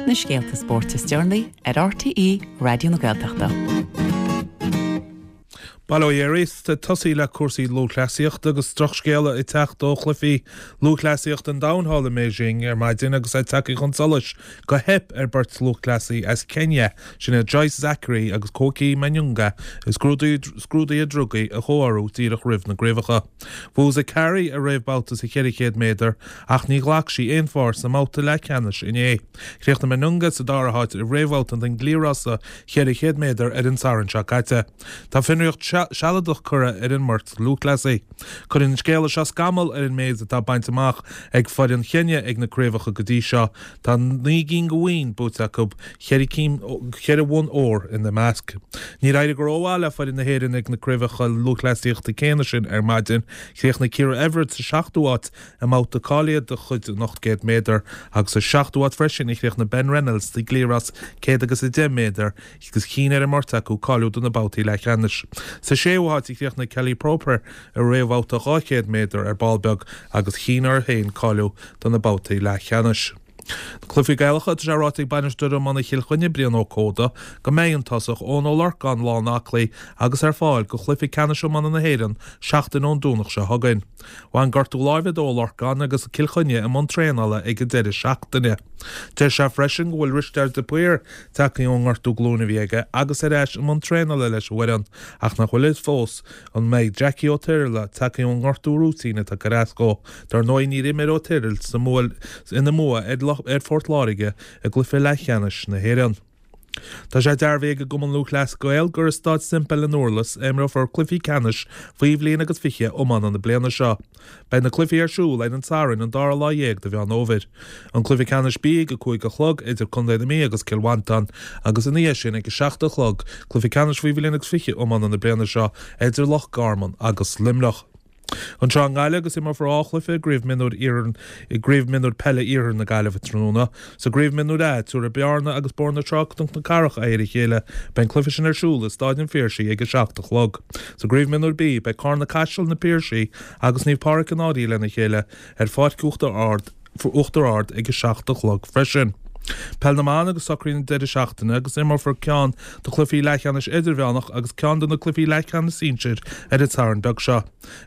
Na scéalta spóirt is deireanaí ar RTÉ Raidió na Gaeltachta. Bail ó Dhia oraibh, ag tosaí le cúrsaí lúthchleasaíochta agus drochscéala ag teacht ó chluichí lúthchleasaíochta an domhain thall i mBeijing ar maidin agus é tagtha chun solais gur theip ar beirt lúthchleasaí as Kenya, sin iad Joyce Zakary agus Koki Manyonga, i scrúduithe drugaí a chomhshárú díreach roimh na gcraobhacha. Bhuaigh Zakary a réamhbhabhta sa 400 méadar ach ní ghlac sí aon pháirt sa mbabhta leathcheannais inné. Chríochnaigh Manyonga sa dara háit i réamhbhabhta den gcliathrás 400 méadar ar an Satharn seo caite. Tá fionraíocht sealadach curtha ar an mbeirt lúthchleasaí. Cuireann an scéala seo scamall ar an méid atá bainte amach ag foireann Cheinia ag na craobhacha go dtí seo. Tá 9 gcinn de bhoinn buaite acu, cheithre bhonn óir ina measc. Níor éirigh go rómhaith le foireann na hÉireann ag na craobhacha lúthchleasaíochta céanna sin ar maidin. Chríochnaigh Ciara Everett sa seachtú háit i mbabhta cáilithe de chuid an 800 méadar agus sa seachtú háit freisin a chríochnaigh Ben Reynolds sa gcliathrás 110 méadar agus chinn ar an mbeirt acu cáiliú do na babhtaí leathcheannais. Sa séú háit a chríochnaigh Kelly Proper i réamhbhabhta 200 méadar ar ball beag agus chinn air féin cáiliú do na babhtaí leathcheannais. Na cluichí Gaelacha, tá sé ráite ag bainisteoir iomána Chill Chainnigh, Brian Ó Códa, go mbeidh an tosach Eoin Ó Lorcáin lán-aclaí agus ar fáil do chluiche ceannais iomána na hÉireann seachtain ón Domhnach seo chugainn. Bhain gortú láimhe d'Ó Lorcáin agus Cill Chainnigh i mbun traenála ag an deireadh seachtaine. Deir sé freisin go bhfuil Risteard de Paor tagtha ón ngortú glúine a bhí aige agus ar ais i mbun traenála leis an bhfoireann ach nach bhfuil a fhios fós an mbeidh Jackie Ó Tiriala tagtha ón ngortú rúitín atá ag cur as dó. Dar ndóigh níor imir Ó Tirial sa ina mbua ar Phort Láirge i gcluiche leathcheannais na hÉireann. Tá sé dearbhaithe ag an gCumann Lúthchleas Gael gur i Staid Semple i nDurlas a imreofar cluichí ceannais faoi bhliain agus 20 iomána na bliana seo. Beidh na cluichí ar siúl ar an Satharn an dara lá dhéag de Mheán Fhómhair. An cluiche ceannais B ag 5 a chlog idir Contae na Mí agus Cill Mhantáin agus ina dhiaidh sin ag 7 a chlog cluiche ceannais faoi bhliain agus 20 iomána na bliana seo idir Loch Garman agus Luimneach. Anseo i nGaillimh agus imreofar 2 chluiche i gCraobh Mionúir Iarthar i gCraobh Mionúir Peile Iarthar na Gaillimhe tráthnóna. Sa gCraobh Mionúir A, tabharfaidh Bearna agus Bóthar na Trá Cnoc na Cathrach aghaidh ar a chéile. Beidh an cluiche sin ar siúl i Stáid an Phiarsaigh ag 7 a chlog. Sa gCraobh Mionúir B, beidh Carna Caiseal, Na Piarsaigh agus Naomh Pádraig an Fhairche lena chéile ar Pháirc Uachtar Ard Uachtar Ard ag 7 a chlog freisin. Peil na mBan agus socruithe an deireadh seachtaine agus imreofar ceann de chluichí leathcheannais idirmheánach agus ceann de na cluichí leathcheannais sinsir ar an Satharn beag seo.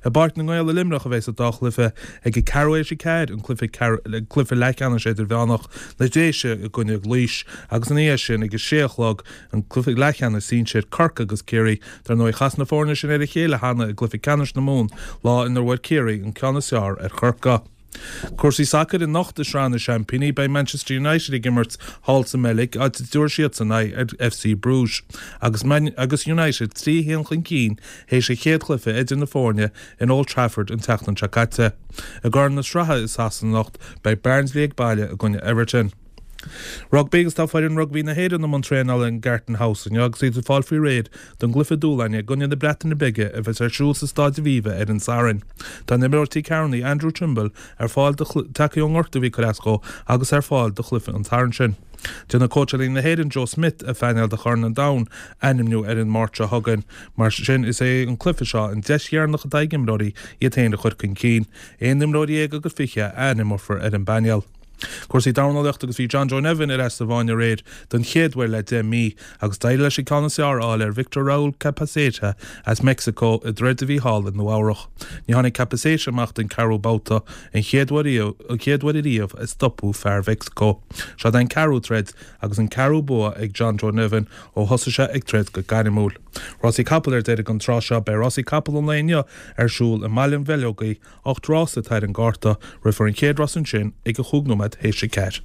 I bPáirc na nGael i Luimneach a bheas an dá chluiche ag a ceathrú théis a ceathair, an cluiche cluiche leathcheannais idirmheánach, na Déise i gcoinne Laois agus ina dhiaidh sin ag a sé a chlog an cluiche leathcheannais sinsir, Corcaigh agus Ciarraí. Dar ndóigh chas na foirne sin ar a chéile cheana i gcluiche ceannais na Mumhan lá inar bhfuair Ciarraí an ceann is fearr ar Chorcaigh. Cúrsaí sacair anocht i Sraith na Seaimpíní, beidh Manchester United ag imirt thall sa mBeilg, áit a dtabharfaidh siadsan aghaidh ar FC Bruges. Agus agus United 3 1 chun cinn théis an chéad chluiche idir na foirne in Old Trafford an tseachtain seo caite. I gCorn na Sraithe i Sasana anocht, beidh Barnsley ag baile i gcoinne Everton. Rugbaí agus tá foireann rugbaí na hÉireann i mbun traenála in Gartan House inniu agus iad ag fáil faoi réir don gcluiche dúshláin i gcoinne na Breataine Bige a bheas ar siúl sa Staid Aviva ar an Satharn. Tá an imreoir Tír Cearnaí, Andrew Trimble, ar fáil do tagtha ón ngortú a bhí ag cur as dó agus ar fáil do chluiche an tSathairn sin. Déanfaidh cóitseálaí na hÉireann Joe Schmidt a phainéal do Chorn an Domhain a ainmniú ar an Máirt seo chugainn. Mar sin is é an cluiche seo an deis dheireanach atá ag imreoirí iad féin a chur chun cinn. Aon imreoir dhéag agus 20 a ainmneofar ar an bpainéal. Cúrsaí dornálaíochta agus bhí John Joe Nevin ar ais sa bhfáinne aréir don chéad uair le 10 mí agus d'éirigh leis an ceann is fearr a fháil ar Victor Raul Capaceta as Meicsiceo i dtroid a bhí thall i Nua Eabhrach. Ní tháinig Capaceta amach den ceathrú babhta, an chéad uair an chéad uair ariamh a stopadh fear Mheicsiceo. Seo é an ceathrú troid agus an ceathrú bua ag John Joe Nevin ó thosaigh sé ag troid go gairmiúil. Rásaí capall ar deireadh an tráth seo Beidh rásaí capall an lae inniu ar siúl i mBaile an Bheileogaigh 8 rás atá ar an gcárta, rithfear an chéad rás ansin ag a chúig nóiméad théis a ceathair.